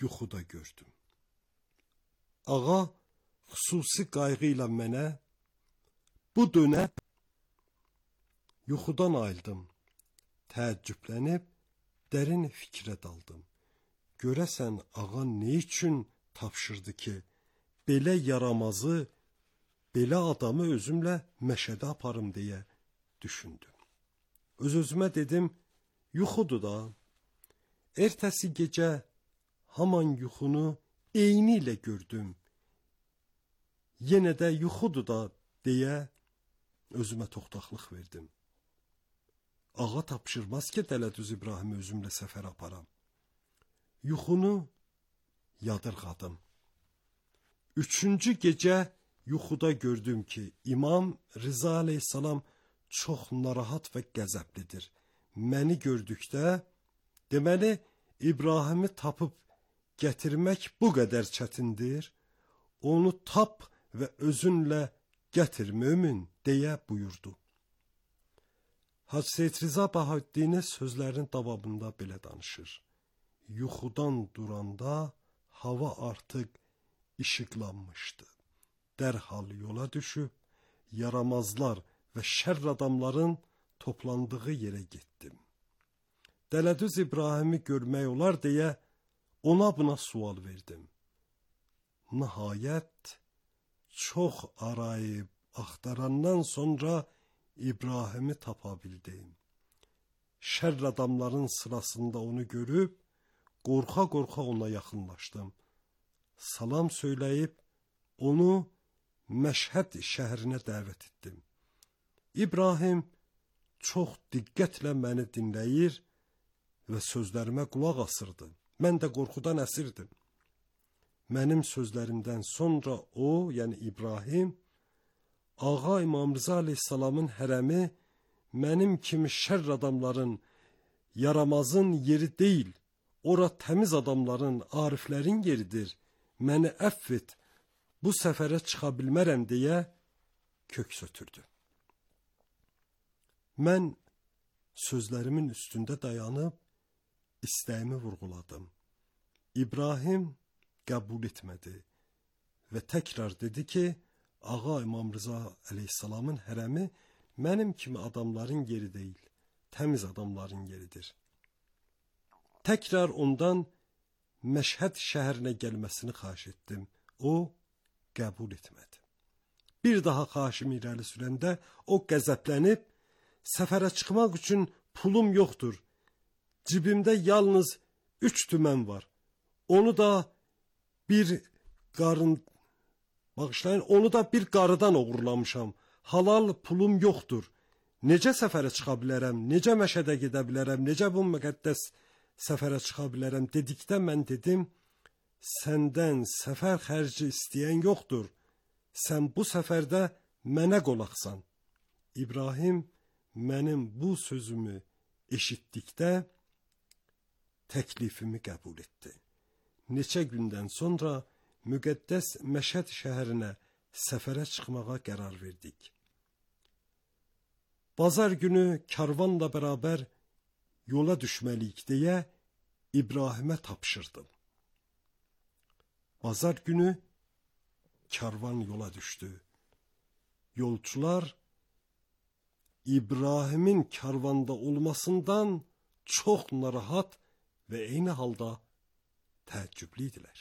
yuxuda gördüm. Ağa xüsusi qayğı ilə mənə bu dönə yuxudan ayıldım. Təəccüblənib dərin fikrə daldım. Görəsən ağa nə üçün tapşırdı ki, belə yaramazı, belə adamı özümlə məşədə aparım deyə düşündüm. Öz-özümə dedim, yuxudur da. Ertəsi gecə haman yuxunu eyni ilə gördüm. Yenə də yuxudur da deyə özümə toxtaqlıq verdim. Ağa tapşırmaz ki, Dələdüz İbrahimi özümlə səfər aparam. Yuxunu yadırğadım. Üçüncü gecə yuxuda gördüm ki, İmam Rıza aleyhissalam çox narahat və qəzəblidir. Məni gördükdə, deməli, İbrahimi tapıb gətirmək bu qədər çətindir. Onu tap və özünlə gətir mömin deyə buyurdu. Hacı Seyid Rıza Bahauddin sözlərinin davamında belə danışır. Yuxudan duranda hava artıq işıqlanmışdı. Dərhal yola düşüb, yaramazlar və şərr adamların toplandığı yerə getdim. Dələdüz İbrahimi görmək olar deyə ona buna sual verdim. Nəhayət, çox arayıb, axtarandan sonra İbrahimi tapa bildim. Şərr adamların sırasında onu görüb, qorxa-qorxa ona yaxınlaşdım. Salam söyləyib, onu Məşhəd şəhərinə dəvət etdim. İbrahim çox diqqətlə məni dinləyir və sözlərimə qulaq asırdı. Mən də qorxudan əsirdim. Mənim sözlərimdən sonra o, yəni İbrahim, Ağa İmam Rıza aleyhissalamın hərəmi mənim kimi şərr adamların, yaramazın yeri deyil, ora təmiz adamların, ariflərin yeridir. Məni əfv et, bu səfərə çıxa bilmərəm deyə köks ötürdü. Mən sözlərimin üstündə dayanıb istəyimi vurğuladım. İbrahim qəbul etmədi və təkrar dedi ki, Ağa İmam Rıza aleyhissalamın hərəmi mənim kimi adamların yeri deyil, təmiz adamların yeridir. Təkrar ondan Məşhəd şəhərinə gəlməsini xahiş etdim. O qəbul etmədi. Bir daha xahişimi irəli sürəndə o qəzəblənib, səfərə çıxmaq üçün pulum yoxdur. Cibimdə yalnız 3 tümən var. Onu da bir qarıdan oğurlamışam. Halal pulum yoxdur. Necə səfərə çıxa bilərəm? Necə Məşədə gedə bilərəm? Necə bu müqəddəs səfərə çıxa bilərəm dedikdə mən dedim, səndən səfər xərci istəyən yoxdur. Sən bu səfərdə mənə qolaqsan. İbrahim mənim bu sözümü eşitdikdə təklifimi qəbul etdi. Neçə gündən sonra müqəddəs Məşəd şəhərinə səfərə çıxmağa qərar verdik. Bazar günü karvanla bərabər yola düşməliyik deyə İbrahimə tapşırdım. Bazar günü karvan yola düşdü. Yolçular İbrahimin karvanda olmasından çox narahat və eyni halda təəccüblü idilər.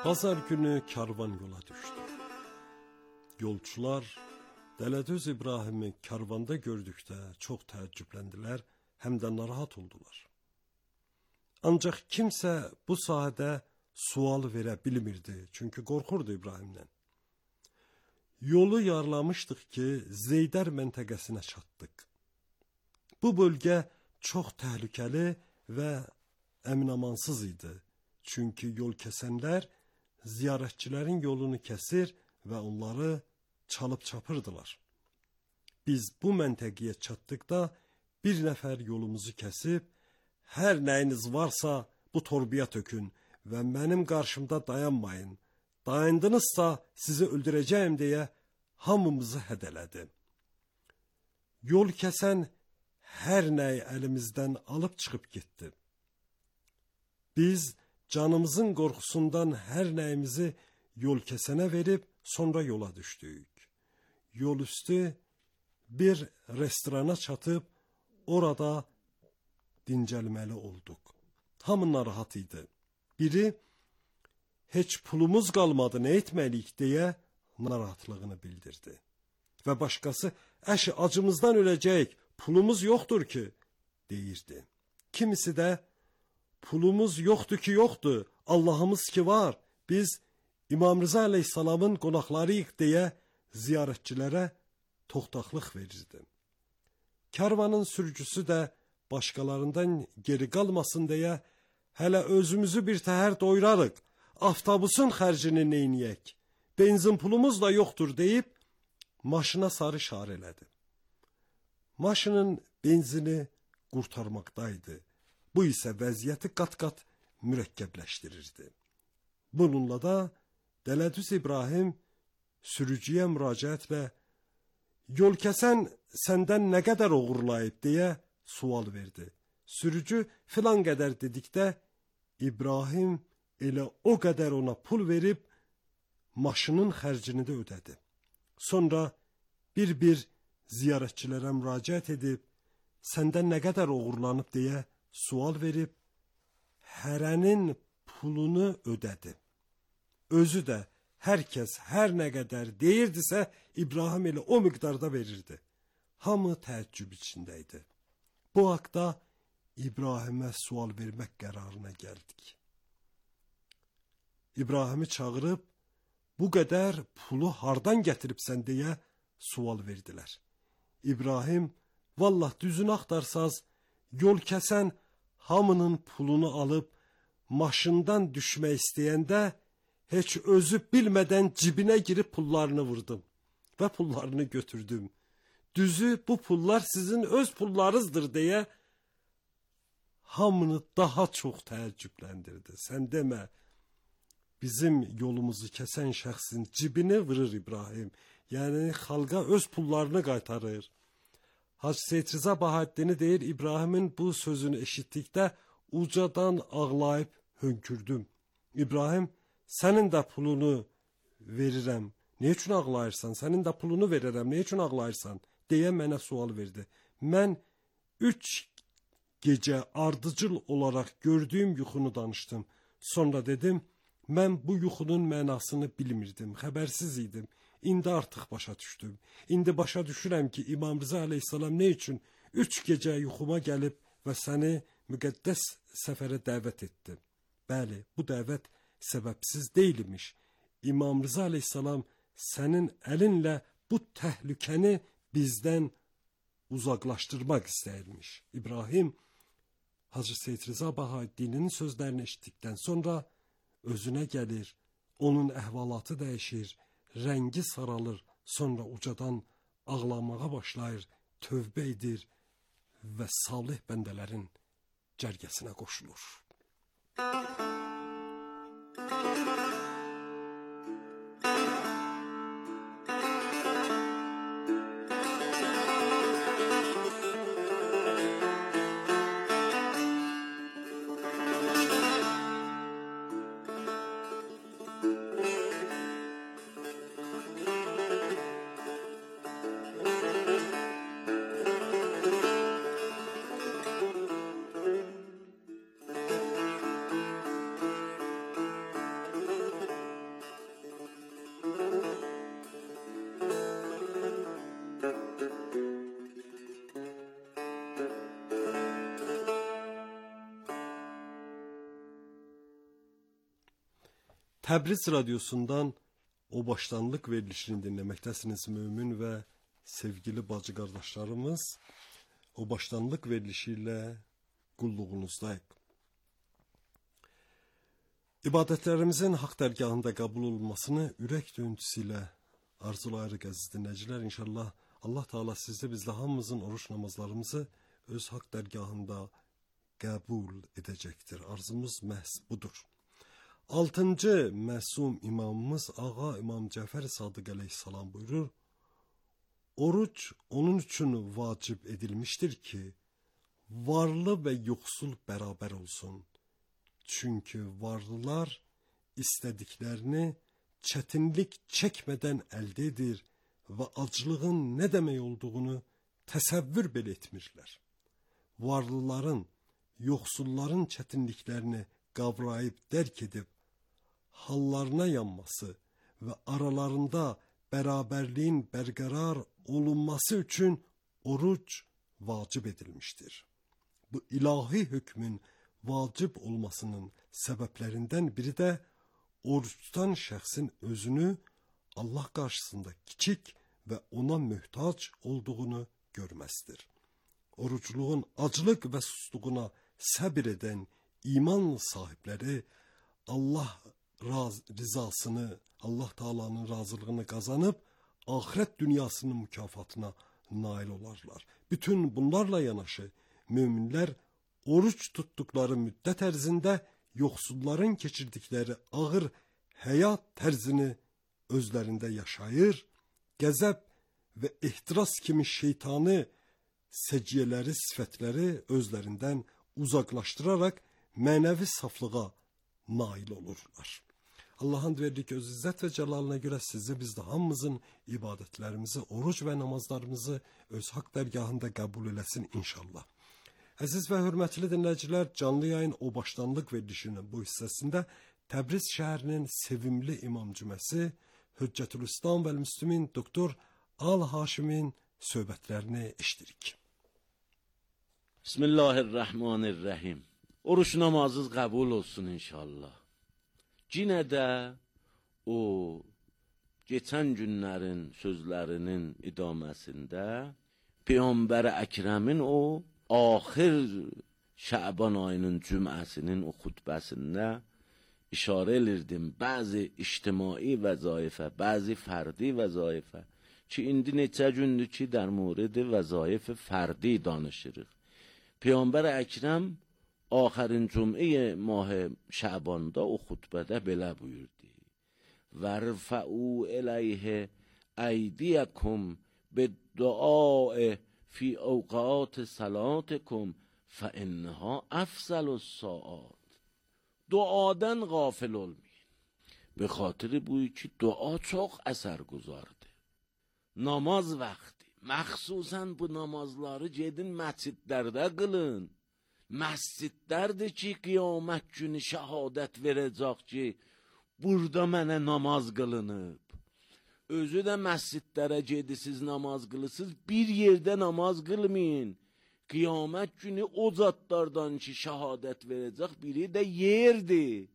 Bazar günü karvan yola düşdü. Yolçular Dələdüz İbrahimi karvanda gördükdə çox təəccübləndilər, həm də narahat oldular. Ancaq kimsə bu sahədə sual verə bilmirdi, çünki qorxurdu İbrahimdən. Yolu yarlamışdıq ki, Zeydər məntəqəsinə çatdıq. Bu bölgə çox təhlükəli və əminamansız idi. Çünki yol kəsənlər ziyarətçilərin yolunu kəsir və onları çalıb çapırdılar. Biz bu məntəqəyə çatdıqda bir nəfər yolumuzu kəsib, hər nəyiniz varsa bu torbaya tökün və mənim qarşımda dayanmayın. Dayandınızsa sizi öldürəcəyim deyə hamımızı hədələdi. Yol kəsən hər nəyi əlimizdən alıb çıxıb getdi. Biz canımızın qorxusundan hər nəyimizi yol kəsənə verib sonra yola düşdük. Yol üstü bir restorana çatıb orada dincəlməli olduq. Hamı narahat idi. Biri heç pulumuz qalmadı, nə etməliyik deyə narahatlığını bildirdi. Və başqası əşi acımızdan öləcəyik, pulumuz yoxdur ki deyirdi. Kimisi də pulumuz yoxdur ki yoxdur, Allahımız ki var, biz İmam Rıza əleyhissalamın qonaqlarıyıq deyə ziyarətçilərə toxtaqlıq verirdi. Karvanın sürücüsü də başqalarından geri qalmasın deyə hələ özümüzü bir təhər doyurarıq, avtobusun xərcini neyniyək, benzin pulumuz da yoxdur deyib maşına sarı işarə elədi. Maşının benzini qurtarmaqdaydı. Bu isə vəziyyəti qat-qat mürəkkəbləşdirirdi. Bununla da Dələdüz İbrahim sürücüyə müraciətlə yol kəsən səndən nə qədər oğurlayıb deyə sual verdi. Sürücü filan qədər dedikdə İbrahim elə o qədər ona pul verib maşının xərcini də ödədi. Sonra bir-bir ziyarətçilərə müraciət edib səndən nə qədər oğurlanıb deyə sual verib hərənin pulunu ödədi. Özü də hər kəs hər nə qədər deyirdisə İbrahim elə o miqdarda verirdi. Hamı təəccüb içində idi. Bu haqda İbrahimə sual vermək qərarına gəldik. İbrahimi çağırıb bu qədər pulu hardan gətiribsən deyə sual verdilər. İbrahim, vallah düzünü axtarsaz, yol kəsən hamının pulunu alıb maşından düşmək istəyəndə heç özü bilmədən cibinə girib pullarını vurdum və pullarını götürdüm. Düzü bu pullar sizin öz pullarınızdır deyə hamını daha çox təəccübləndirdi. Sən demə, bizim yolumuzu kəsən şəxsin cibini vurur İbrahim. Yəni xalqa öz pullarını qaytarır. Hacı Seyid Rıza Bahəddini deyir, İbrahimin bu sözünü eşitdikdə ucadan ağlayıb hönkürdüm. İbrahim, sənin də pulunu verirəm. Nə üçün ağlayırsan? Sənin də pulunu verərəm. Nə üçün ağlayırsan? Deyə mənə sual verdi. Mən 3 gecə ardıcıl olaraq gördüyüm yuxunu danışdım. Sonra dedim, mən bu yuxunun mənasını bilmirdim, xəbərsiz idim. İndi artıq başa düşdüm. İndi başa düşürəm ki, İmam Rıza əleyhissalam nə üçün 3 gecə yuxuma gəlib və səni müqəddəs səfərə dəvət etdi. Bəli, bu dəvət səbəbsiz deyilmiş. İmam Rıza əleyhissalam sənin əlinlə bu təhlükəni bizdən uzaqlaşdırmaq istəyirmiş. İbrahim, Hacı Seyid Rıza Bahəddinin sözlərini eşitdikdən sonra özünə gəlir, onun əhvalatı dəyişir, rəngi saralır, sonra ucadan ağlamağa başlayır, tövbə edir və salih bəndələrin cərgəsinə qoşulur. Təbriz radiosundan o başlanlıq verilişini dinləməkdəsiniz mümin və sevgili bacı qardaşlarımız. o başlanlıq verilişi ilə qulluğunuzdayıq. İbadətlərimizin haqq dərgahında qəbul olunmasını ürək döyüntüsü ilə arzulayırıq əziz dinləyicilər. İnşallah Allah Teala sizdə bizlə hamımızın oruç namazlarımızı öz haqq dərgahında qəbul edəcəkdir. Arzumuz məhz budur. 6-cı məsum imamımız Ağa İmam Cəfər Sadiq əleyhissalam buyurur: Oruç onun üçün vacib edilmişdir ki, varlı və yoxsul bərabər olsun. Çünki varlılar istədiklərini çətinlik çəkmədən əldə edir və aclığın nə demək olduğunu təsəvvür belə etmirlər. Varlıların, yoxsulların çətinliklərini qavrayıb dərk edib, hallarına yanması və aralarında bərabərliyin bərqərar olunması üçün oruc vacib edilmişdir. Bu ilahi hökmün vacib olmasının səbəblərindən biri də oruç tutan şəxsin özünü Allah qarşısında kiçik və ona möhtac olduğunu görməsidir. Orucluğun aclıq və susluğuna səbir edən iman sahibləri Allah rızasını, Allah Taala'nın razılığını qazanıb axirət dünyasının mükafatına nail olarlar. Bütün bunlarla yanaşı möminlər oruç tutduqları müddət ərzində yoxsulların keçirdikləri ağır həyat tərzini özlərində yaşayır, qəzəb və ehtiras kimi şeytani səciyyələri, sifətləri özlərindən uzaqlaşdıraraq mənəvi saflığa nail olurlar. Allah'ın verdiği öz izzət və cəlalına görə sizə biz də hamımızın ibadətlərimizi, oruc və namazlarımızı öz haqq dərgahında qəbul eləsin inşallah. Əziz və hörmətli dinləyicilər, canlı yayın o başlanlıq verilişinin bu hissəsində Təbriz şəhərinin sevimli imam cüməsi Hüccətülislam və Müslümin Doktor Al Haşimin söhbətlərini eşdirik. Bismillahirrahmanirrahim. Oruç namazınız qəbul olsun inşallah. Yine də o geçən günlərin sözlərinin idaməsində Peyğəmbər Əkrəmin o axir Şəban ayının cüməsinin o xutbəsində işarə edirdim bəzi ictimai vəzaifə, bəzi fərdi vəzaifə ki indi neçə gündür ki در مورد وظایف فردی danışırıq. Peyğəmbər Əkrəm آخرین جمعه ماه شعباندا او خطبه بله بویردی ورفعوا الیه ایدیکم بالدعاء فی اوقات صلاتکم فانها افضل الساعات. دعاdan غافل olmayın. به خاطر بوی که دعا çok əsərgüzardır. Namaz vaxtı, məxsusən bu namazları gedin məscidlərdə qılın. Məscidlərdir ki, qiyamət günü şəhadət verəcək ki, burada mənə namaz qılınıb. Özü də məscidlərə gedisiz, namaz qılısız, bir yerdə namaz qılmayın. Qiyamət günü o zatlardan ki, şəhadət verəcək biri də yerdir.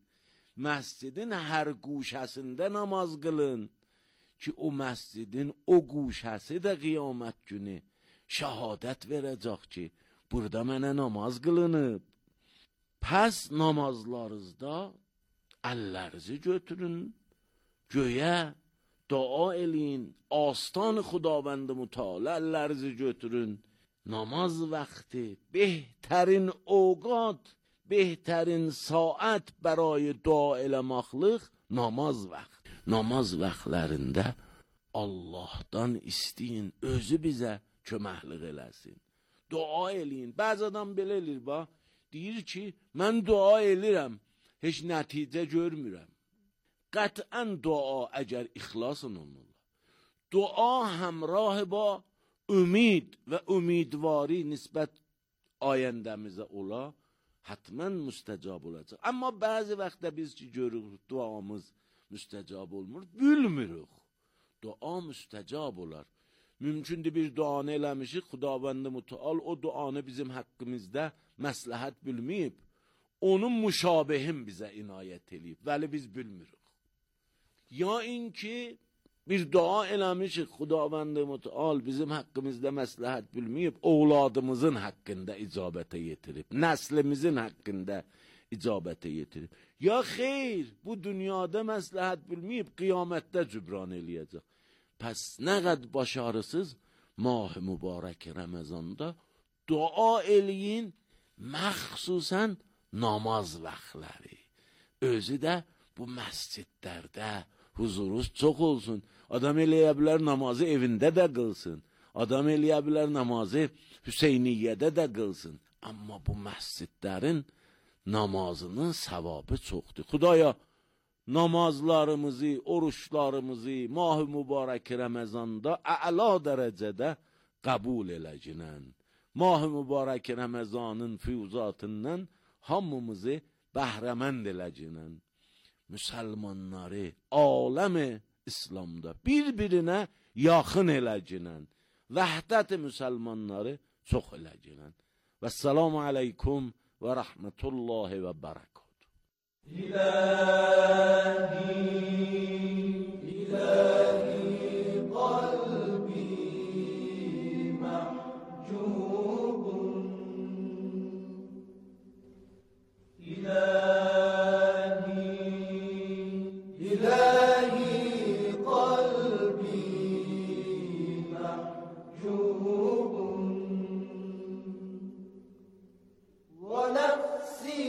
Məscidin hər quşəsində namaz qılın ki, o məscidin o quşəsi də qiyamət günü şəhadət verəcək ki, burada mənə namaz qılınıb. Pəs namazlarınızda əllərinizi götürün, göyə dua eləyin, astan Xudavənd-i Mütəala əllərinizi götürün. Namaz vaxtı behtarin اوقات، بهترین saat برای dua eləmaqlıq namaz vaxtı. Namaz vaxtlarında Allahdan isteyin, özü bizə köməklik eləsin. Dua eləyin. Bəzi adam belə eləyir, bax, deyir ki, mən dua eləyirəm, heç nəticə görmürəm. Qətən dua əgər ixlasın olmalı. Dua həmrah ba ümid və ümidvari nisbət ayəndəmizə ola, hətmən müstəcab olacaq. Amma bəzi vaxtda biz ki görürük, duamız müstəcab olmur, bilmirik. Dua müstəcab olar. Mümkündür bir duanı eləmişik, Xudavənd-i Mütəal o duanı bizim haqqımızda məsləhət bilməyib, onun müşabehin bizə inayət eləyib, vəli biz bilmirik. Ya in ki, bir dua eləmişik, Xudavənd Mütəal bizim haqqımızda məsləhət bilməyib, ovladımızın haqqında icabətə yetirib, nəslimizin haqqında icabətə yetirib. Ya xeyr, bu dünyada məsləhət bilməyib, qiyamətdə cübran eləyəcək. Pəs nə qəd başarısız mah-ı mübarək Ramazanda dua eləyin, məxsusən namaz vaxtları. Özü də bu məscidlərdə huzuruz çox olsun. Adam eləyə bilər namazı evində də qılsın. Adam eləyə bilər namazı Hüseyniyyədə də qılsın. Amma bu məscidlərin namazının savabı çoxdur. Xudaya namazlarımızı, oruçlarımızı mah-ı mübarək Ramazanda əla dərəcədə qəbul eləcinən. Mah-ı mübarək Ramazanın füyuzatından hamımızı bəhrəmənd eləcinən. Müsəlmanları aləmi İslamda bir-birinə yaxın eləcinən. Vəhdət-i müsəlmanları çox eləcinən. Vəssalamu aleykum və rəhmətullahi və bərəkatuhu. İlahi qalbi mahcubun. İlahi qalbi mahcubun. Ve nefsi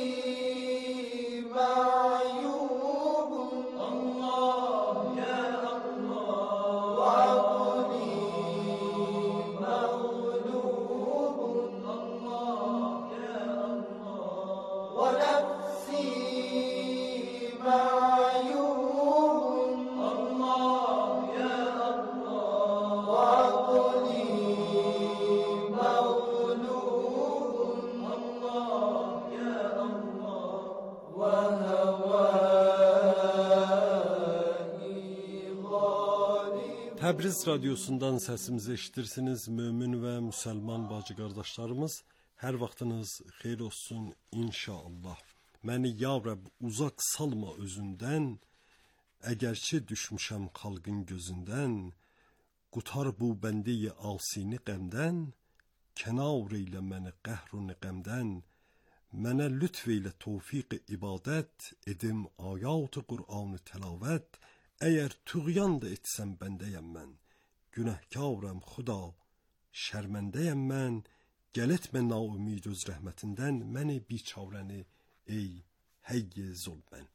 ma'yubun. Allah ya Allah. Ve akli mağlubun. Allah ya Allah. Ve nefsi ma'yubun. Allah ya Allah. Ve akli mağlubun. Allah ya Allah. Ve havai galib. Təbriz radiosundan səsimizi eşidirsiniz mömin və müsəlman bacı qardaşlarımız. Hər vaxtınız xeyir olsun inşallah. Məni ya Rəbb uzaq salma özündən, əgərçi düşmüşəm xalqın gözündən, qutar bu bəndi-i asini qəmdən, kənar eylə məni qəhr-u qəmdən, mənə lütf eylə tövfiq ibadət, edim ayat-ı Qur'an-ı təlavət, əgər tüğyan da etsəm bəndəyəm mən, günəhkaram Xuda, şərməndəyəm mən, gəl etmə naümid öz rəhmətindən, məni biçarəni ey heyy zulmən.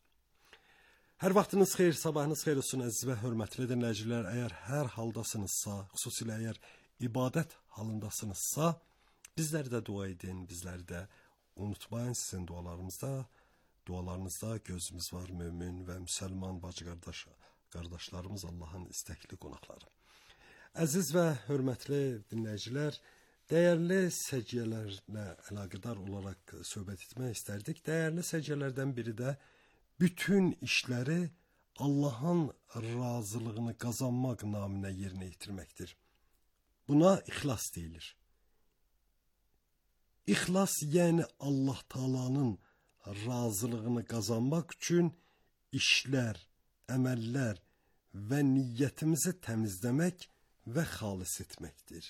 Hər vaxtınız xeyir, sabahınız xeyir olsun əziz və hörmətli dinləyicilər. Əgər hər haldasınızsa, xüsusilə əgər ibadət halındasınızsa, bizləri də dua edin, bizləri də unutmayın. Sizin dualarınızda gözümüz var, mömin və müsəlman bacı qardaşlarımız, Allahın istəkli qonaqları. Əziz və hörmətli dinləyicilər, dəyərli səciyyələrlə əlaqədar olaraq söhbət etmək istərdik. Dəyərli səciyyələrdən biri də bütün işləri Allahın razılığını qazanmaq naminə yerinə yetirməkdir. Buna ixlas deyilir. İxlas yəni Allah Taala'nın razılığını qazanmaq üçün işlər, əməllər və niyyətimizi təmizləmək və xalis etməkdir.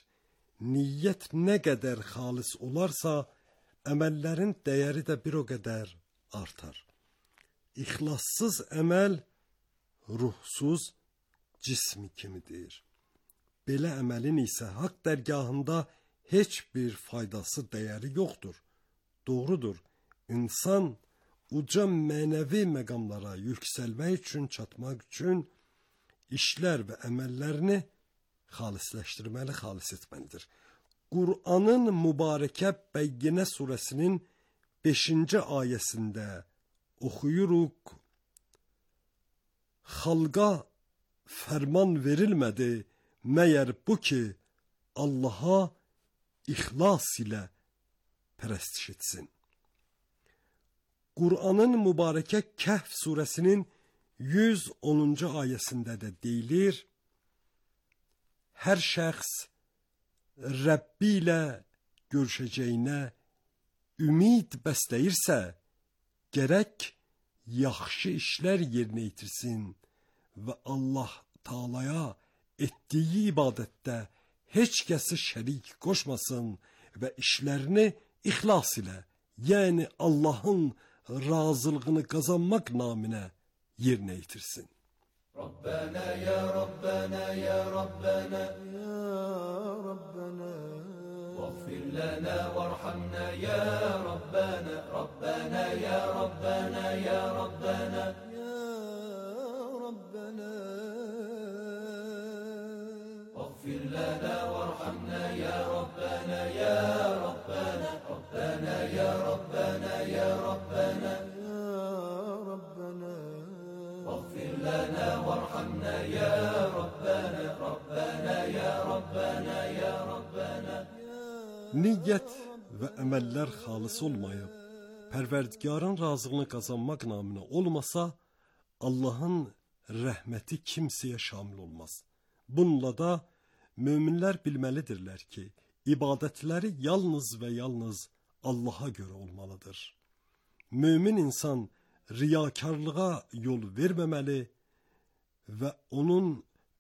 Niyyət nə qədər xalis olarsa, əməllərin dəyəri də bir o qədər artar. İxlassız əməl ruhsuz cism kimidir. Belə əməlin isə haqq dərgahında heç bir faydası, dəyəri yoxdur. Doğrudur, insan uca mənəvi məqamlara yüksəlmək üçün, çatmaq üçün işlər və əməllərini xalisləşdirməli, xalis etməlidir. Qur'anın mübarəkə Bəyyinə surəsinin 5-ci ayəsində oxuyuruq. Xalqa fərman verilmədi, məyər bu ki, Allaha ixlas ilə pərəstiş etsin. Qur'anın mübarəkə Kəhf surəsinin 110-cu ayəsində də deyilir, hər şəxs Rəbbi ilə görüşəcəyinə ümid bəsləyirsə, gərək yaxşı işlər yerinə yetirsin və Allah Taala'ya etdiyi ibadətdə heç kəsi şərik qoşmasın və işlərini ixlas ilə, yəni Allahın razılığını qazanmaq naminə yerinə yetirsin. ربنا يا ربنا يا ربنا يا ربنا واغفر لنا وارحمنا يا ربنا ربنا يا ربنا يا ربنا يا ربنا واغفر لنا وارحمنا يا ربنا يا ربنا ربنا يا ربنا يا ربنا يا ربنا واغفر لنا وارحمنا يا ربنا ربنا يا ربنا يا ربنا. Niyyət və əməllər xalis olmayıb, Pərverdigarın razılığını qazanmaq naminə olmasa, Allahın rəhməti kimsəyə şamil olmaz. Bununla da möminlər bilməlidirlər ki, ibadətləri yalnız və yalnız Allaha görə olmalıdır. Mömin insan riyakarlığa yol verməməli və onun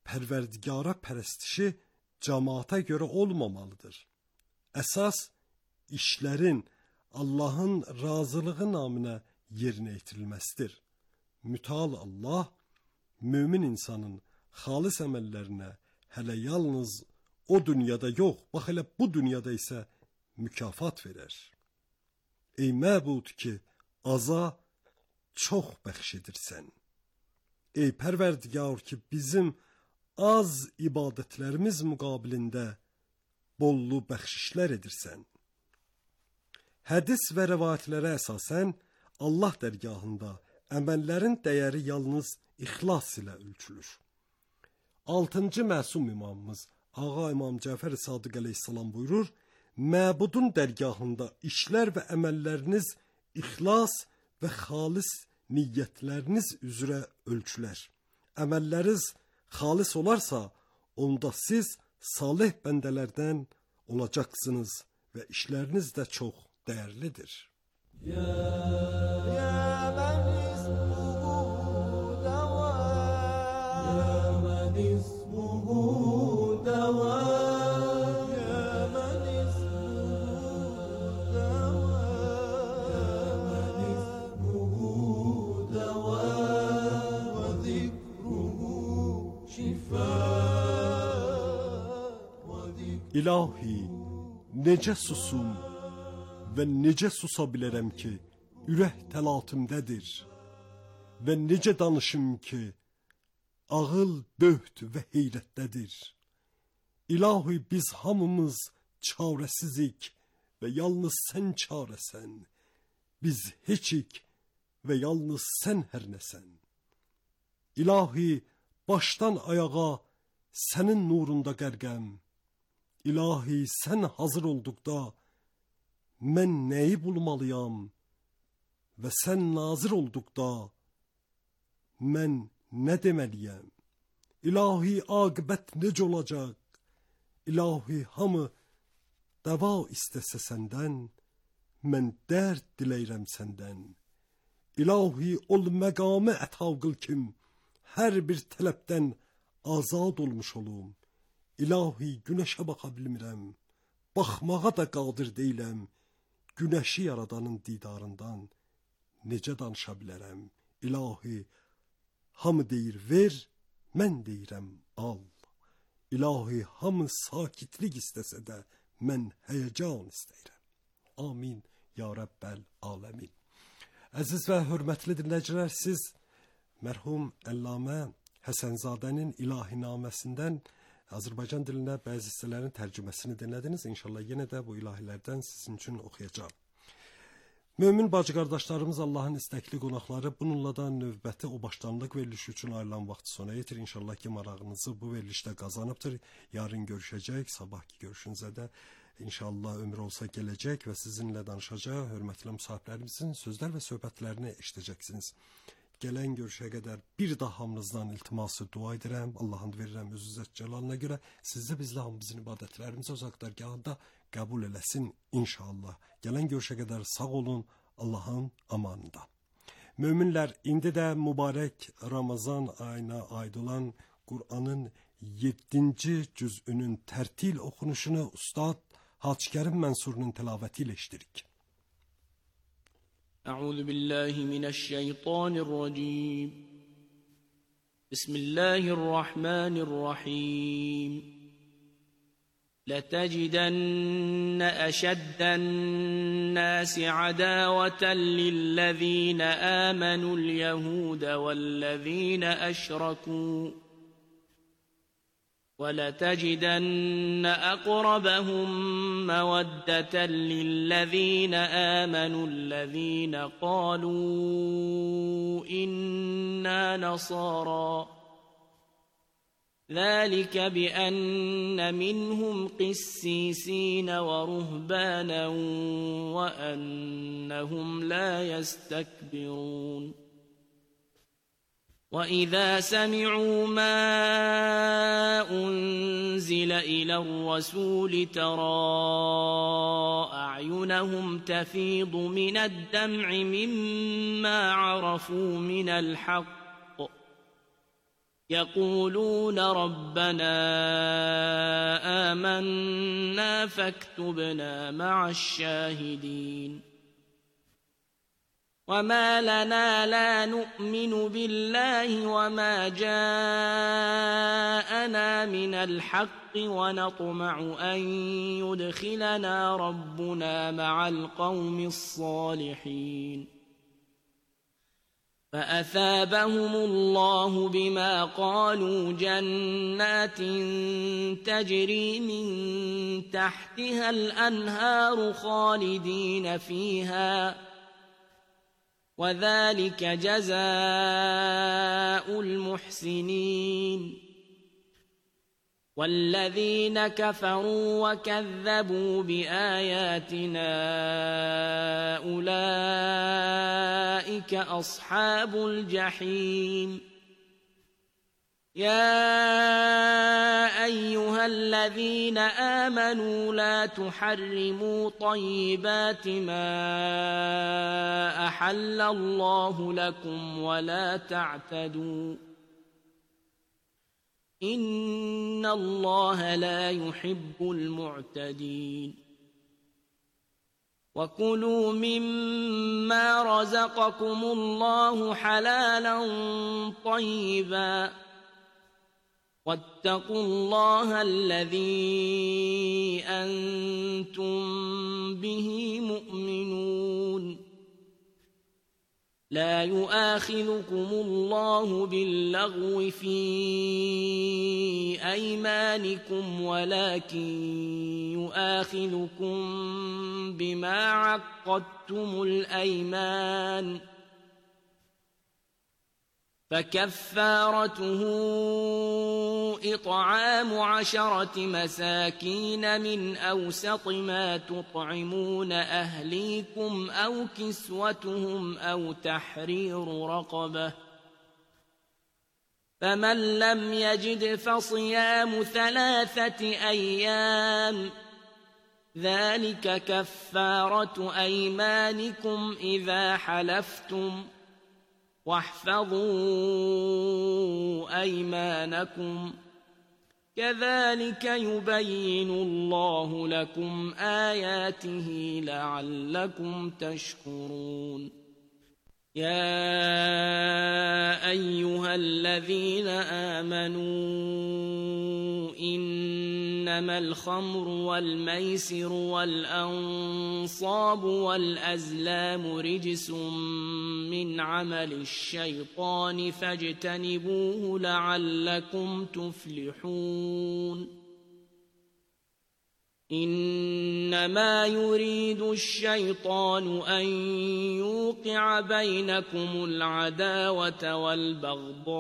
Pərverdigara pərəstişi cəmaata görə olmamalıdır. Əsas işlərin Allahın razılığı naminə yerinə yetirilməsidir. Mütəal Allah mömin insanın xalis əməllərinə hələ yalnız o dünyada yox, bax elə bu dünyada isə mükafat verər. Ey məbud ki, aza çox bəxş edirsən. Ey Pərverdigar ki, bizim az ibadətlərimiz müqabilində bollu bəxşişlər edirsən. Hədis və rəvayətlərə əsasən Allah dərgahında əməllərin dəyəri yalnız ixlas ilə ölçülür. 6-cı məsum imamımız Ağa İmam Cəfər Sadiq əleyhissalam buyurur, məbudun dərgahında işlər və əməlləriniz ixlas və xalis niyyətləriniz üzrə ölçülər. Əməlləriniz xalis olarsa, onda siz salih bəndələrdən olacaqsınız və işləriniz də çox dəyərlidir. يا من اسمه دواء يا من اسمه دواء يا من اسمه دواء يا من اسمه دواء وذكره شفاء وذكره İlahi, necə susum və necə susa bilərəm ki, ürək təlatümdədir və necə danışım ki, ağıl böht və heyrətdədir. İlahi, biz hamımız çarəsizik və yalnız sən çarəsən. Biz heçik və yalnız sən hər nəsən. İlahi, başdan ayağa sənin nurunda qərqəm. İlahi, sən hazır olduqda mən nəyi bulmalıyam və sən nazir olduqda mən nə deməliyəm? İlahi, aqibət necə olacaq? İlahi, hamı dəva istəsə səndən, mən dərd diləyirəm səndən. İlahi, ol məqamı əta qıl kim, hər bir tələbdən azad olmuş olum. İlahi, günəşə baxa bilmirəm, baxmağa da qadir deyiləm. Günəşi yaradanın didarından necə danışa bilərəm? İlahi, hamı deyir ver, mən deyirəm al. İlahi, hamı sakitlik istəsə də mən həyəcan istəyirəm. Amin ya Rəbbəl aləmin. Əziz və hörmətli dinləyicilər, siz mərhum Əllamə Həsənzadənin ilahinaməsindən Azərbaycan dilinə bəzi hissələrin tərcüməsini dinlədiniz. İnşallah yenə də bu ilahilərdən sizin üçün oxuyacağım. Mömin bacı qardaşlarımız, Allahın istəkli qonaqları, bununla da növbəti o başlanılıq verilişi üçün ayrılan vaxtı sona yetir. İnşallah ki, marağınızı bu verilişdə qazanıbdır. Yarın görüşəcək, sabahki görüşünüzə də inşallah ömür olsa gələcək və sizinlə danışacaq hörmətli müsahiblərimizin sözlər və söhbətlərini eşidəcəksiniz. Gələn görüşə qədər bir daha hamınızdan iltiması dua edirəm. Allah'ın verirəm öz izzət cəlalına görə. Sizi bizlə hamımızın ibadətlərimizi uzaq dərgahında qəbul eləsin inşallah. Gələn görüşə qədər sağ olun, Allah'ın amanında. Möminlər, indi də mübarək Ramazan ayına aid olan Qur'anın 7-ci cüzünün tərtil oxunuşunu Ustad Hacı Kərim Mənsurun tilavəti ilə eşidirik. أعوذ بالله من الشيطان الرجيم بسم الله الرحمن الرحيم لتجدن أشد الناس عداوة للذين آمنوا اليهود والذين أشركوا ولتجدن أقربهم مودة للذين آمنوا الذين قالوا إنا نصارى ذلك بأن منهم قسيسين ورهبانا وأنهم لا يستكبرون وإذا سمعوا ما أنزل إلى الرسول ترى أعينهم تفيض من الدمع مما عرفوا من الحق يقولون ربنا آمنا فاكتبنا مع الشاهدين وما لنا لا نؤمن بالله وما جاءنا من الحق ونطمع أن يدخلنا ربنا مع القوم الصالحين فأثابهم الله بما قالوا جنات تجري من تحتها الأنهار خالدين فيها وذلك جزاء المحسنين والذين كفروا وكذبوا بآياتنا أولئك أصحاب الجحيم يا أيها الذين آمنوا لا تحرموا طيبات ما أحل الله لكم ولا تعتدوا إن الله لا يحب المعتدين وكلوا مما رزقكم الله حلالا طيبا واتقوا الله الذي أنتم به مؤمنون لا يؤاخذكم الله باللغو في أيمانكم ولكن يؤاخذكم بما عقدتم الأيمان فكفارته إطعام 10 مساكين من أوسط ما تطعمون أهليكم أو كسوتهم أو تحرير رقبة فمن لم يجد فصيام 3 أيام ذلك كفارة أيمانكم إذا حلفتم واحفظوا أيمانكم كذلك يبين الله لكم آياته لعلكم تشكرون يا أيها الذين آمنوا إنما الخمر والميسر والأنصاب والأزلام رجس من عمل الشيطان فاجتنبوه لعلكم تفلحون إنما يريد الشيطان أن يوقع بينكم العداوة والبغضاء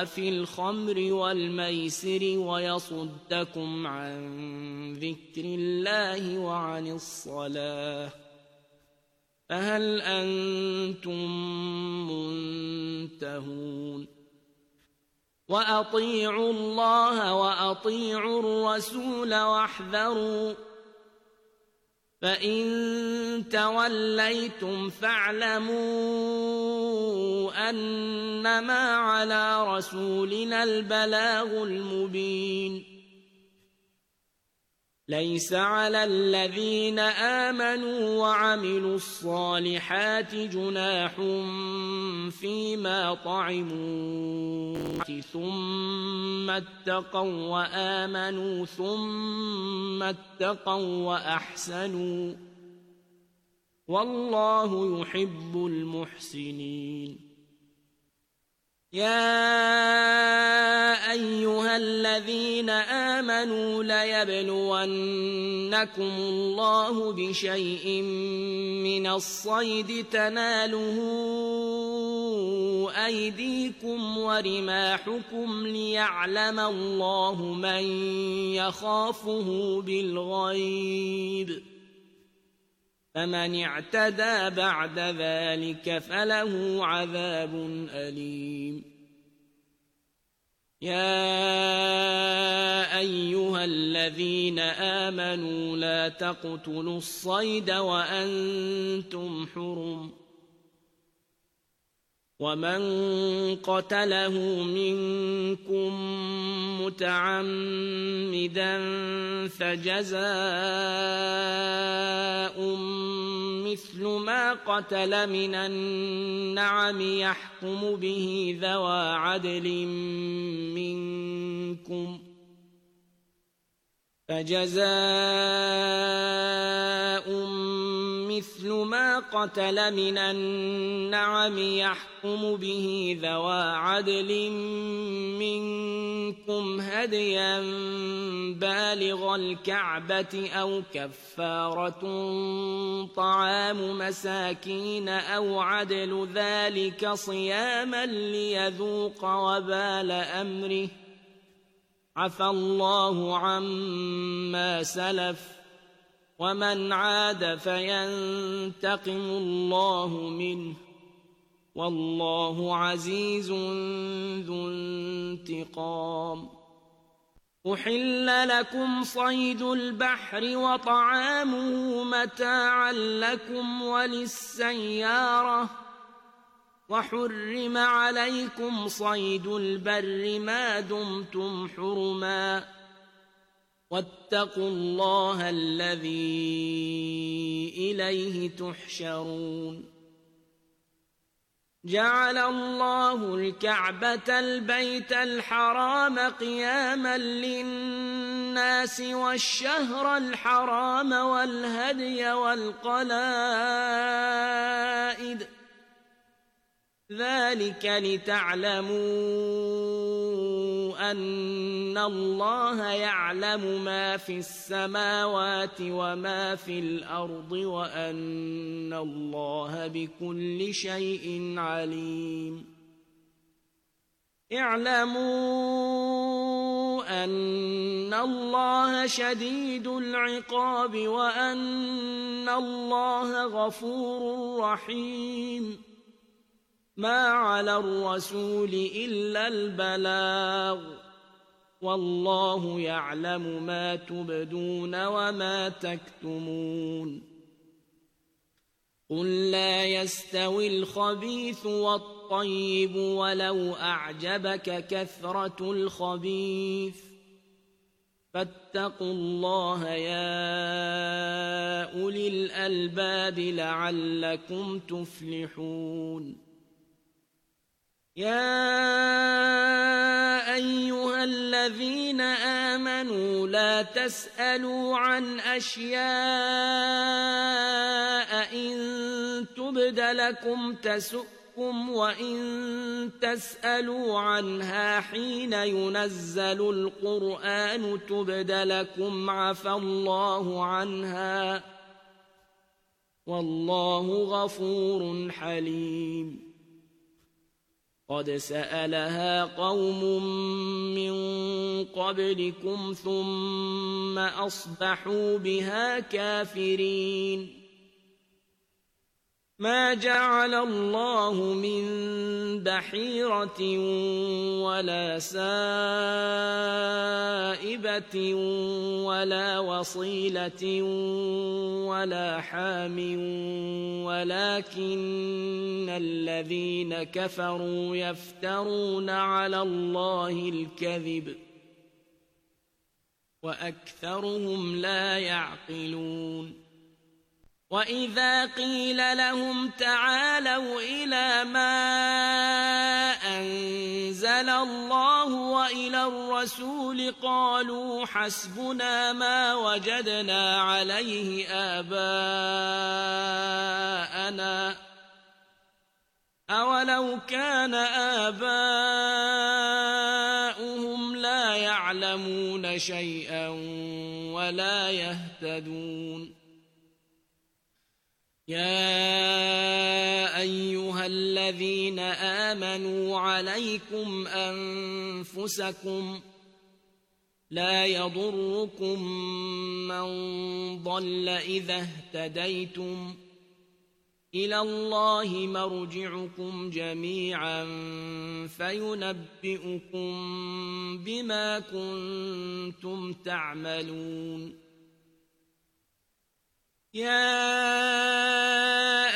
في الخمر والميسر ويصدكم عن ذكر الله وعن الصلاة فهل أنتم منتهون وأطيعوا الله وأطيعوا الرسول واحذروا فإن توليتم فاعلموا أنما على رسولنا البلاغ المبين ليس على الذين آمنوا وعملوا الصالحات جناح فيما طعموا ثم اتقوا وآمنوا ثم اتقوا وأحسنوا والله يحب المحسنين يا أيها الذين آمنوا ليبلونكم الله بشيء من الصيد تناله أيديكم ورماحكم ليعلم الله من يخافه بالغيب فمن اعتدى بعد ذلك فله عذاب أليم يا أيها الذين آمنوا لا تقتلوا الصيد وأنتم حرم ومن قتله منكم متعمدا فجزاء مثل ما قتل من النعم يحكم به ذوى عدل منكم مثل ما قتل من النعم يحكم به ذوى عدل منكم هديا بالغ الكعبة أو كفارة طعام مساكين أو عدل ذلك صياما ليذوق وبال أمره عفى الله عما سلف ومن عاد فينتقم الله منه والله عزيز ذو انتقام أحل لكم صيد البحر وطعامه متاعا لكم وللسيارة وحرم عليكم صيد البر ما دمتم حرما واتقوا الله الذي إليه تحشرون جعل الله الكعبة البيت الحرام قياما للناس والشهر الحرام والهدي والقلائد ذلك لتعلموا أن الله يعلم ما في السماوات وما في الأرض وأن الله بكل شيء عليم اعلموا أن الله شديد العقاب وأن الله غفور رحيم ما على الرسول إلا البلاغ والله يعلم ما تبدون وما تكتمون قل لا يستوي الخبيث والطيب ولو أعجبك كثرة الخبيث فاتقوا الله يا أولي الألباب لعلكم تفلحون يا أيها الذين آمنوا لا تسألوا عن أشياء إن تبد لكم تسؤكم وإن تسألوا عنها حين ينزل القرآن تبد لكم عفى الله عنها والله غفور حليم قد سألها قوم من قبلكم ثم أصبحوا بها كافرين ما جعل الله من بحيرة ولا سائبة ولا وصيلة ولا حام ولكن الذين كفروا يفترون على الله الكذب وأكثرهم لا يعقلون وإذا قيل لهم تعالوا إلى ما أنزل الله وإلى الرسول قالوا حسبنا ما وجدنا عليه آباءنا أولو كان آباؤهم لا يعلمون شيئا ولا يهتدون يا أيها الذين آمنوا عليكم أنفسكم لا يضركم من ضل إذا اهتديتم إلى الله مرجعكم جميعا فينبئكم بما كنتم تعملون يا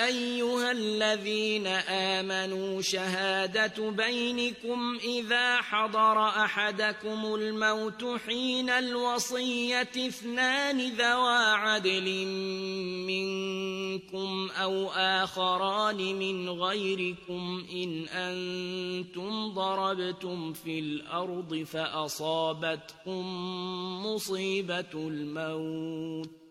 أيها الذين آمنوا شهادة بينكم إذا حضر أحدكم الموت حين الوصية اثنان ذوى عدل منكم أو آخران من غيركم إن أنتم ضربتم في الأرض فأصابتكم مصيبة الموت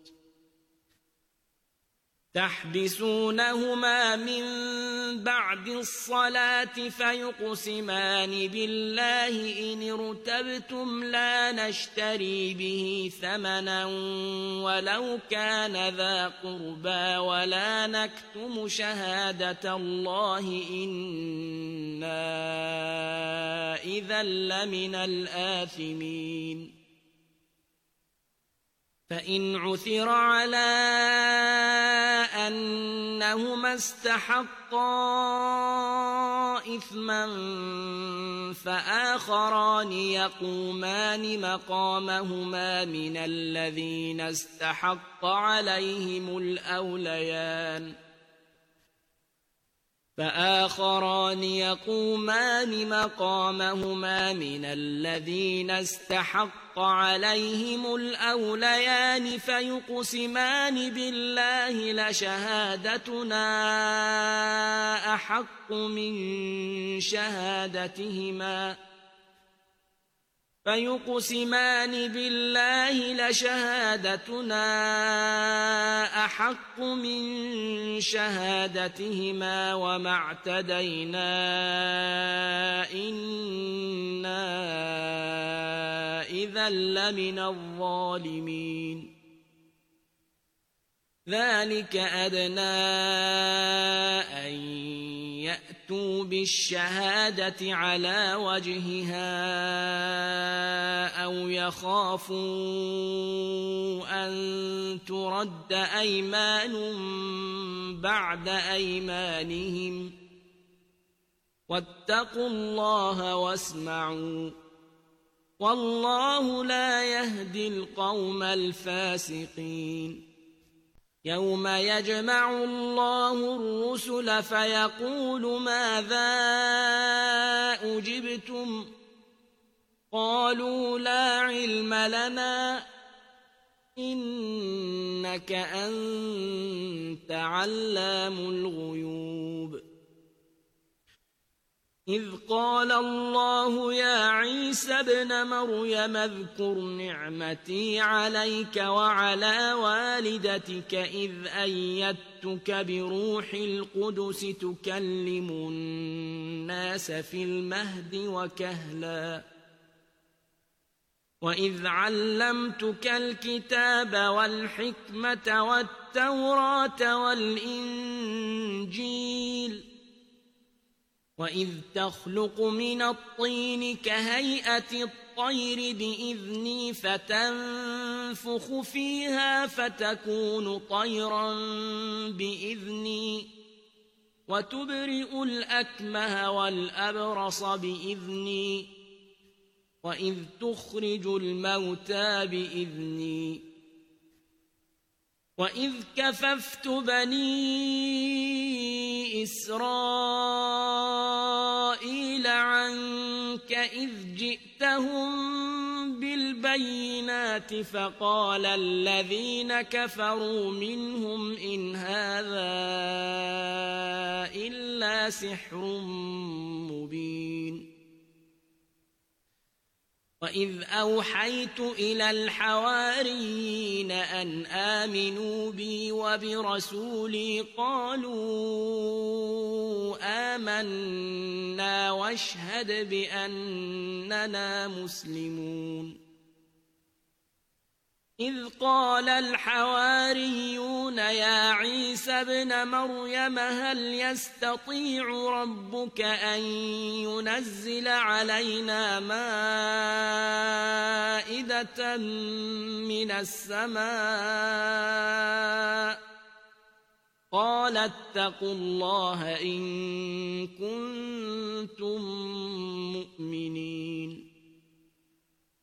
تحبسونهما من بعد الصلاة فيقسمان بالله إن ارتبتم لا نشتري به ثمنا ولو كان ذا قربى ولا نكتم شهادة الله إنا إذا لمن الآثمين فإن عثر على أنهما استحقا إثما فآخران يقومان مقامهما من الذين استحق عليهم الأوليان فيقسمان بالله لشهادتنا أحق من شهادتهما وما اعتدينا إنا إذا لمن الظالمين ذلك أدنى أن يأتوا بالشهادة على وجهها أو يخافوا أن ترد أيمان بعد أيمانهم واتقوا الله واسمعوا والله لا يهدي القوم الفاسقين يوم يجمع الله الرسل فيقول ماذا أجبتم قالوا لا علم لنا إنك أنت علام الغيوب إذ قال الله يا عيسى ابن مريم اذكر نعمتي عليك وعلى والدتك إذ أيدتك بروح القدس تكلم الناس في المهد وكهلا وإذ علمتك الكتاب والحكمة والتوراة والإنجيل وإذ تخلق من الطين كهيئة الطير بإذني فتنفخ فيها فتكون طيرا بإذني وتبرئ الأكمه والأبرص بإذني وإذ تخرج الموتى بإذني وإذ كففت بني إسرائيل عنك إذ جئتهم بالبينات فقال الذين كفروا منهم إن هذا إلا سحر مبين وإذ أوحيت إلى الحواريين أن آمنوا بي وبرسولي قالوا آمنا واشهد بأننا مسلمون إذ قال الحواريون يا عيسى ابن مريم هل يستطيع ربك أن ينزل علينا مائدة من السماء قال اتقوا الله إن كنتم مؤمنين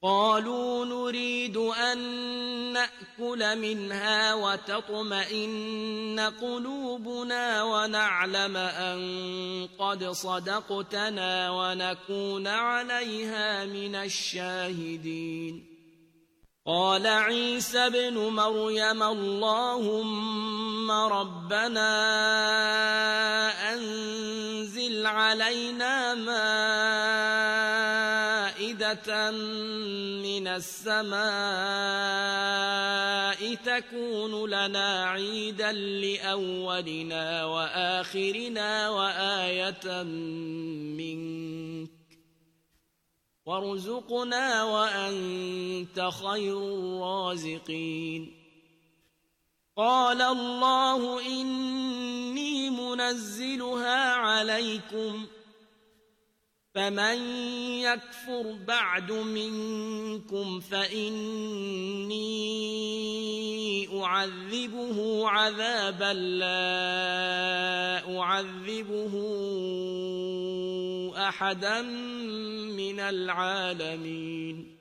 قالوا نريد أن نأكل منها وتطمئن قلوبنا ونعلم أن قد صدقتنا ونكون عليها من الشاهدين قال عيسى ابن مريم اللهم ربنا أنزل علينا مائدة من السماء تكون لنا عيدا لأولنا وآخرنا وآية منك وارزقنا وأنت خير الرازقين قال الله إني منزلها عليكم فمن يكفر بعد منكم فإني أعذبه عذابا لا أعذبه أحدا من العالمين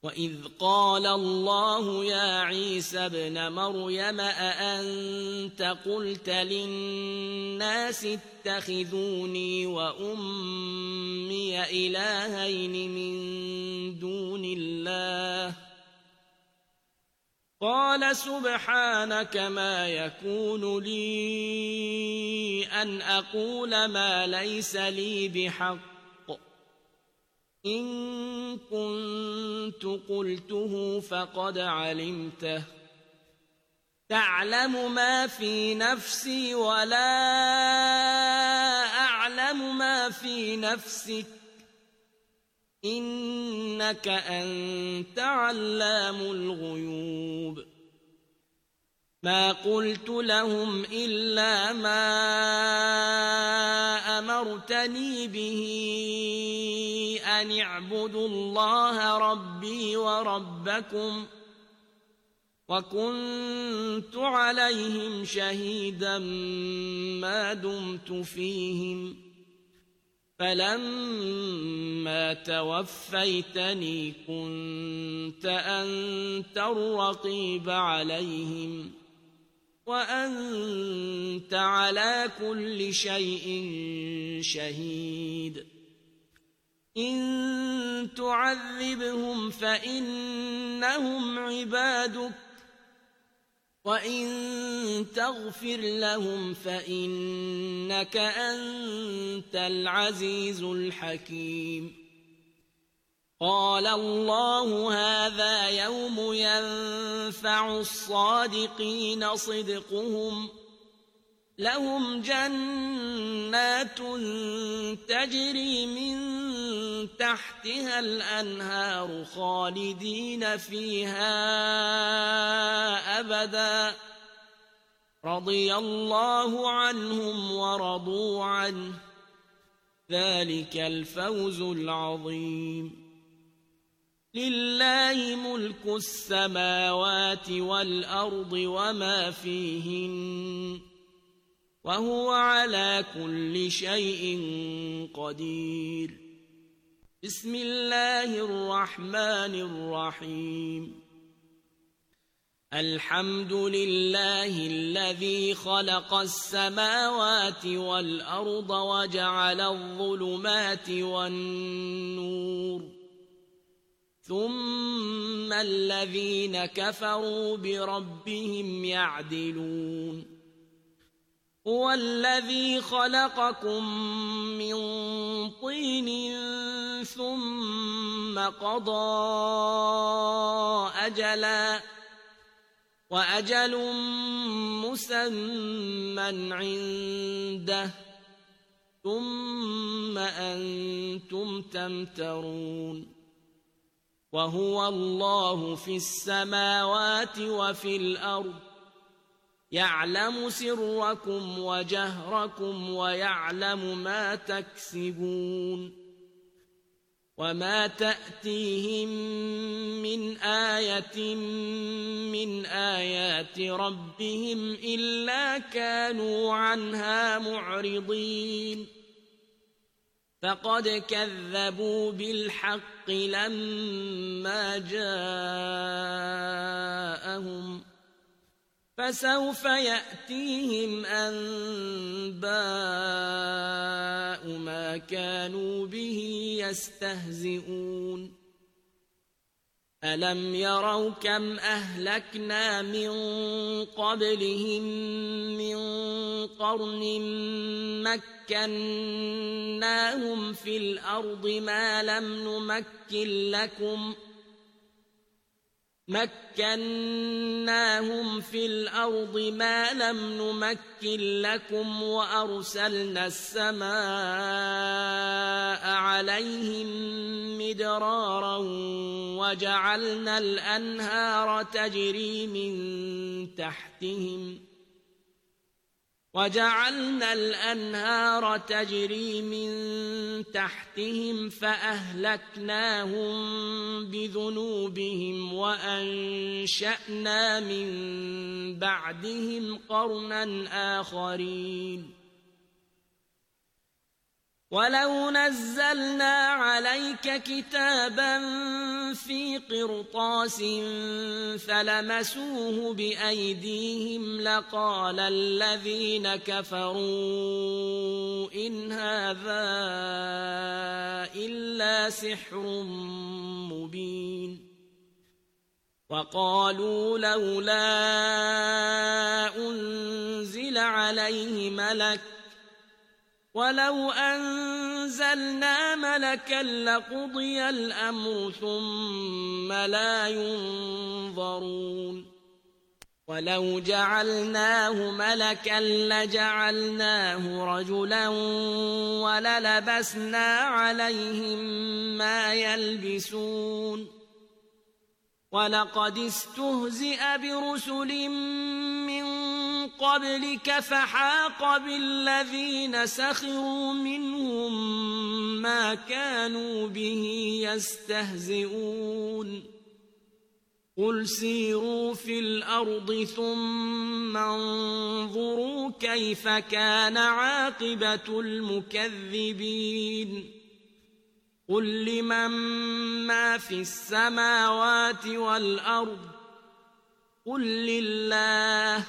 وإذ قال الله يا عيسى ابن مريم أأنت قلت للناس اتخذوني وأمي إلهين من دون الله قال سبحانك ما يكون لي أن أقول ما ليس لي بحق إن كنت قلته فقد علمته تعلم ما في نفسي ولا أعلم ما في نفسك إنك أنت علام الغيوب ما قلت لهم إلا ما أمرتني به أن اعبدوا الله ربي وربكم وكنت عليهم شهيدا ما دمت فيهم فلما توفيتني كنت أنت الرقيب عليهم وأنت على كل شيء شهيد إن تعذبهم فإنهم عبادك وإن تغفر لهم فإنك أنت العزيز الحكيم قال الله هذا يوم ينفع الصادقين صدقهم لهم جنات تجري من تحتها الأنهار خالدين فيها أبدا رضي الله عنهم ورضوا عنه ذلك الفوز العظيم لله ملك السماوات والأرض وما فيهن وهو على كل شيء قدير. بسم الله الرحمن الرحيم. الحمد لله الذي خلق السماوات والأرض وجعل الظلمات والنور ثم الذين كفروا بربهم يعدلون. هو الذي خلقكم من طين ثم قضى أجلا وأجل مسمى عنده ثم أنتم تمترون. وهو الله في السماوات وفي الأرض يعلم سركم وجهركم ويعلم ما تكسبون. وما تأتيهم من آية من آيات ربهم إلا كانوا عنها معرضين. فقد كذبوا بالحق لما جاءهم فسوف يأتيهم أنباء ما كانوا به يستهزئون. ألم يروا كم أهلكنا من قبلهم من قرن مكناهم في الأرض ما لم نمكن لكم وأرسلنا السماء عليهم مدرارا وجعلنا الأنهار تجري من تحتهم فأهلكناهم بذنوبهم وأنشأنا من بعدهم قرنا آخرين. ولو نزلنا عليك كتابا في قرطاس فلمسوه بأيديهم لقال الذين كفروا إن هذا إلا سحر مبين. وقالوا لولا أنزل عليه ملك ولو أنزلنا ملكا لقضي الأمر ثم لا ينظرون. ولو جعلناه ملكا لجعلناه رجلا وللبسنا عليهم ما يلبسون. ولقد استهزئ برسل من قبلك فحاق بالذين سخروا منهم ما كانوا به يستهزئون. قل سيروا في الأرض ثم انظروا كيف كان عاقبة المكذبين. قل لمن ما في السماوات والأرض قل لله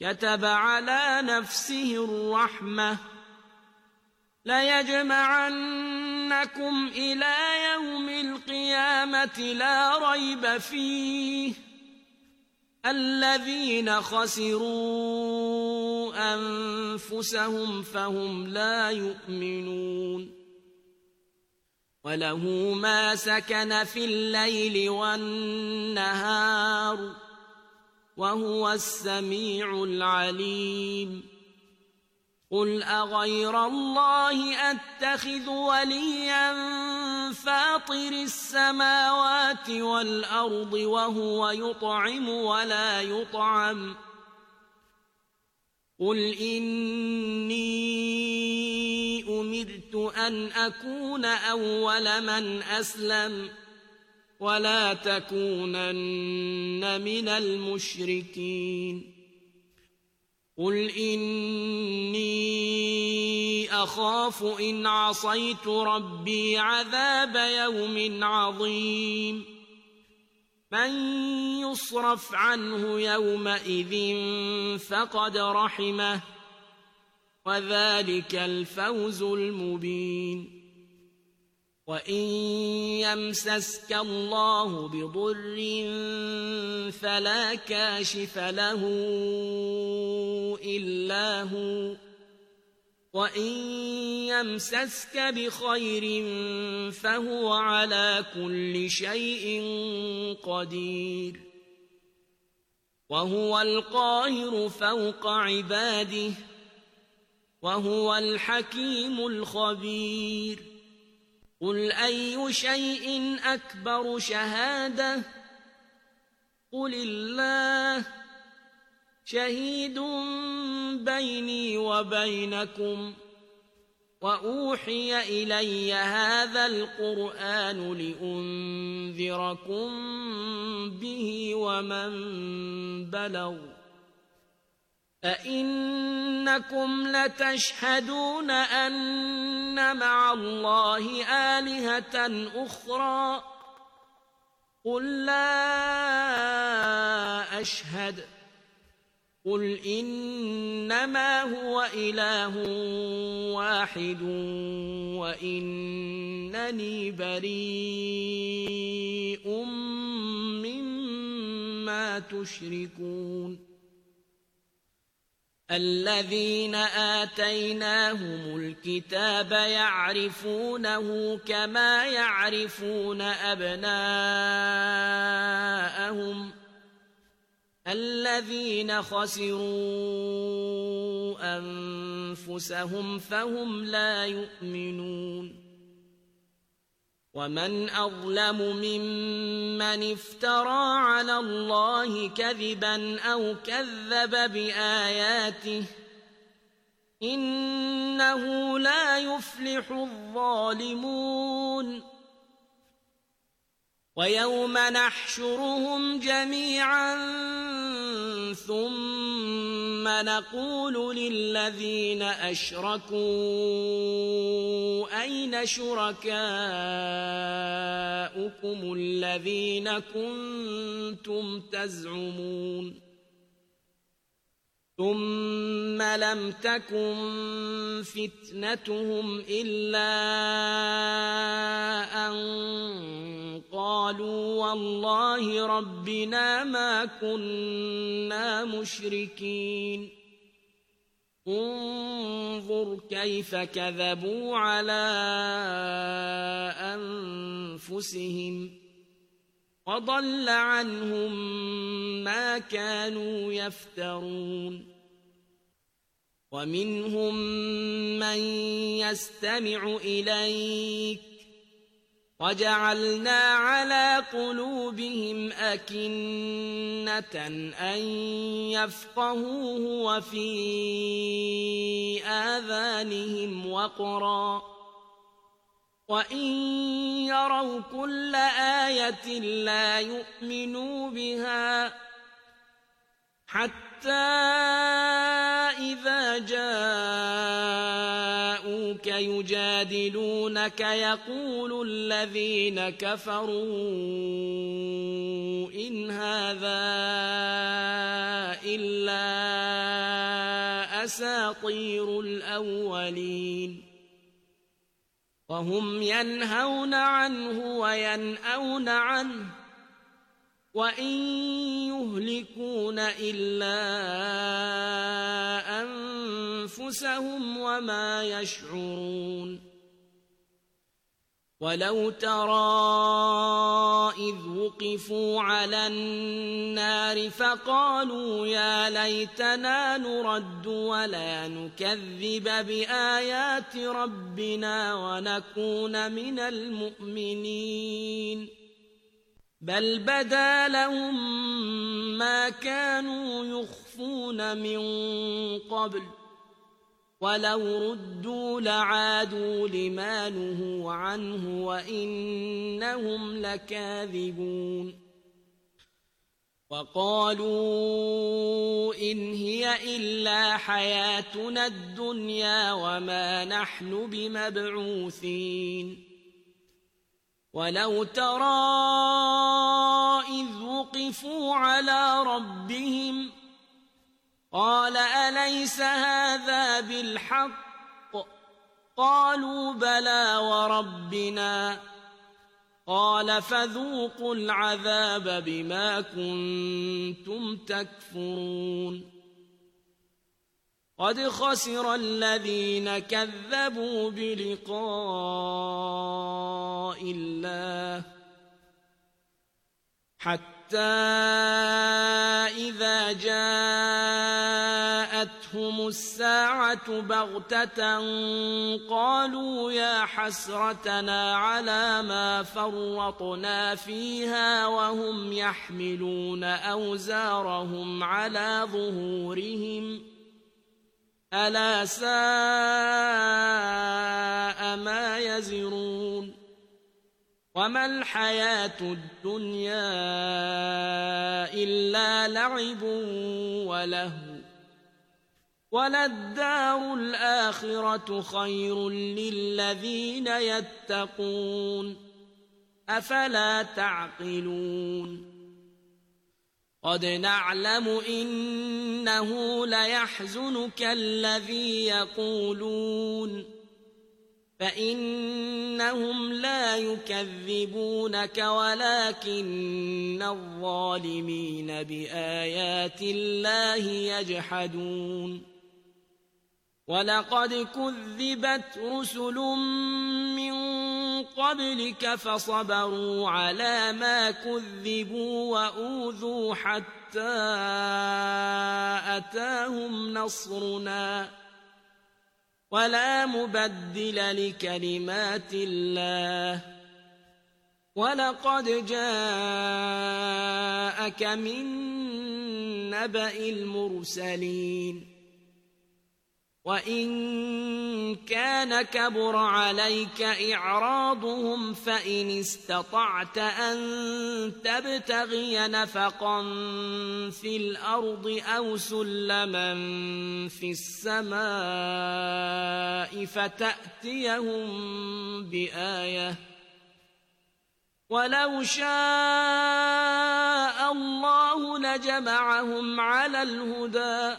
كتب على نفسه الرحمة ليجمعنكم إلى يوم القيامة لا ريب فيه الذين خسروا أنفسهم فهم لا يؤمنون. وله ما سكن في الليل والنهار وهو السميع العليم. قل أغير الله أتخذ وليا فاطر السماوات والأرض وهو يطعم ولا يطعم. قل إني أمرت أن أكون أول من أسلم ولا تكونن من المشركين. قل إني أخاف إن عصيت ربي عذاب يوم عظيم من يصرف عنه يومئذ فقد رحمه وذلك الفوز المبين وإن يمسسك الله بضر فلا كاشف له إلا هو وإن يمسسك بخير فهو على كل شيء قدير وهو القاهر فوق عباده وهو الحكيم الخبير قل أي شيء أكبر شهادة قل الله شهيد بيني وبينكم وأوحي إلي هذا القرآن لأنذركم به ومن بلغ أئنكم لتشهدون أن مع الله آلهة أخرى قل لا أشهد قل إنما هو إله واحد وإنني بريء مما تشركون الذين آتيناهم الكتاب يعرفونه كما يعرفون أبناءهم الذين خسروا أنفسهم فهم لا يؤمنون ومن أظلم ممن افترى على الله كذبا أو كذب بآياته إنه لا يفلح الظالمون ويوم نحشرهم جميعا ثم نقول للذين أشركوا أين شركاؤكم الذين كنتم تزعمون ثم لم تكن فتنتهم إلا أن قالوا والله ربنا ما كنا مشركين انظر كيف كذبوا على أنفسهم وضل عنهم ما كانوا يفترون ومنهم من يستمع إليك وجعلنا على قلوبهم أكنة أن يفقهوه وفي آذانهم وقرا وإن يروا كل آية لا يؤمنوا بها حتى إذا جاءوك يجادلونك يقول الذين كفروا إن هذا إلا أساطير الأولين وهم ينهون عنه وينأون عنه وإن يهلكون إلا أنفسهم وما يشعرون ولو ترى إذ وقفوا على النار فقالوا يا ليتنا نرد ولا نكذب بآيات ربنا ونكون من المؤمنين بل بدا لهم ما كانوا يخفون من قبل ولو ردوا لعادوا لما نهوا عنه وإنهم لكاذبون وقالوا إن هي هي إلا حياتنا الدنيا وما نحن بمبعوثين ولو ترى إذ وقفوا على ربهم قال أليس هذا بالحق قالوا بلى وربنا قال فذوقوا العذاب بما كنتم تكفرون قد خسر الذين كذبوا بلقاء الله حتى إذا جاءتهم الساعة بغتة قالوا يا حسرتنا على ما فرطنا فيها وهم يحملون أوزارهم على ظهورهم ألا ساء ما يزرون وما الحياة الدنيا إلا لعب ولهو وللدار الآخرة خير للذين يتقون أفلا تعقلون قد نعلم إنه ليحزنك الذي يقولون فإنهم لا يكذبونك ولكن الظالمين بآيات الله يجحدون ولقد كذبت رسل من قبلك فصبروا على ما كذبوا وأوذوا حتى أتاهم نصرنا ولا مبدل لكلمات الله ولقد جاءك من نبأ المرسلين وإن كان كبر عليك إعراضهم فإن استطعت أن تبتغي نفقا في الأرض أو سلما في السماء فتأتيهم بآية ولو شاء الله لجمعهم على الهدى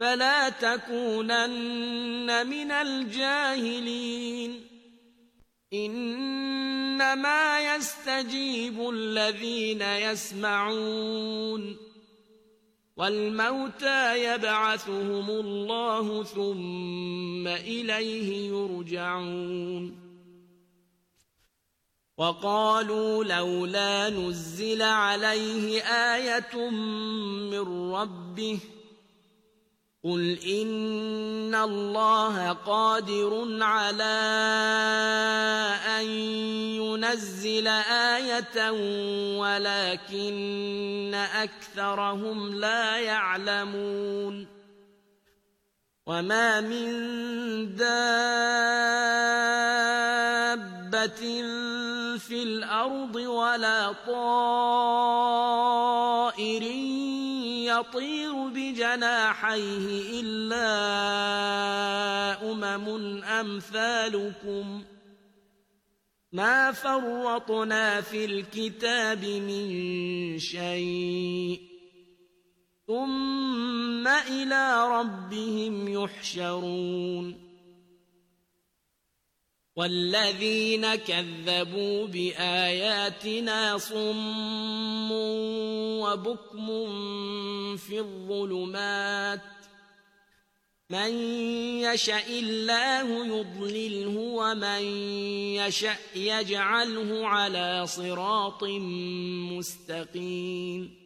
فلا تكونن من الجاهلين إنما يستجيب الذين يسمعون والموتى يبعثهم الله ثم إليه يرجعون وقالوا لولا نزل عليه آية من ربه قل إن الله قادر على أن ينزل آية ولكن أكثرهم لا يعلمون وما من دابة في الأرض ولا طائر يطير بجناحيه إلا أمثالكم ما فرطنا في الكتاب من شيء ثم إلى ربهم يحشرون والذين كذبوا بآياتنا صم وبكم في الظلمات من يشاء الله يضلله ومن يشاء يجعله على صراط مستقيم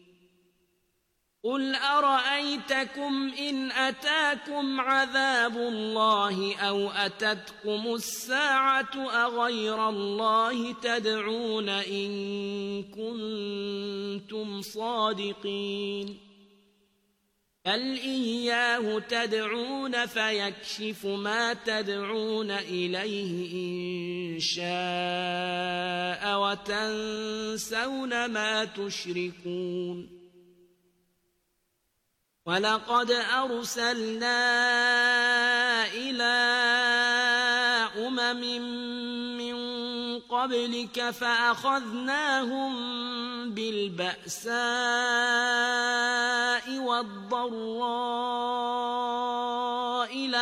قل أرأيتكم إن أتاكم عذاب الله أو أتتكم الساعة أغير الله تدعون إن كنتم صادقين بل إياه تدعون فيكشف ما تدعون إليه إن شاء وتنسون ما تشركون وَلَقَدْ أَرْسَلْنَا إِلَى أُمَمٍ مِّن قَبْلِكَ فَأَخَذْنَاهُم بِالْبَأْسَاءِ وَالضَّرَّاءِ